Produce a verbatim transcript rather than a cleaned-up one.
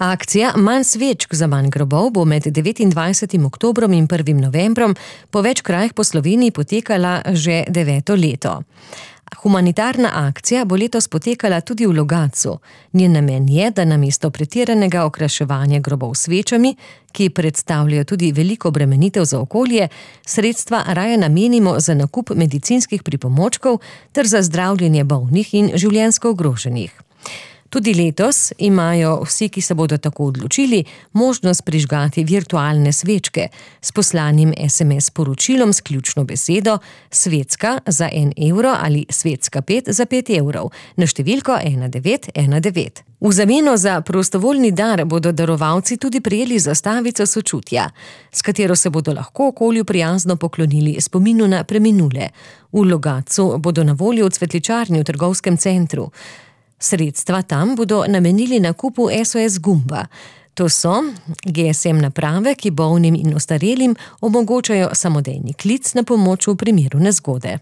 Akcija Manj svečk za manj grobov bo med devetindvajsetim oktobrom in prvim novembrom po več krajih po Sloveniji potekala že deveto leto. Humanitarna akcija bo letos potekala tudi v Logatcu. Njen namen je, da namesto pretiranega okraševanja grobov s svečami, ki predstavljajo tudi veliko obremenitev za okolje, sredstva raje namenimo za nakup medicinskih pripomočkov ter za zdravljenje bolnih in življenjsko ogroženih. Tudi letos imajo vsi, ki se bodo tako odločili, možnost prižgati virtualne svečke s poslanim es em es sporočilom s ključno besedo Svetska za en evro ali Svetska pet za pet evrov na številko ena devet ena devet. V zameno za prostovoljni dar bodo darovalci tudi prejeli zastavico sočutja, s katero se bodo lahko okolju prijazno poklonili spominu na preminule. V Logatcu bodo na voljo v cvetličarni v trgovskem centru. Sredstva tam bodo namenili nakupu es o es gumba. To so ge es em naprave, ki bolnim in ostarelim omogočajo samodejni klic na pomoč v primeru nezgode.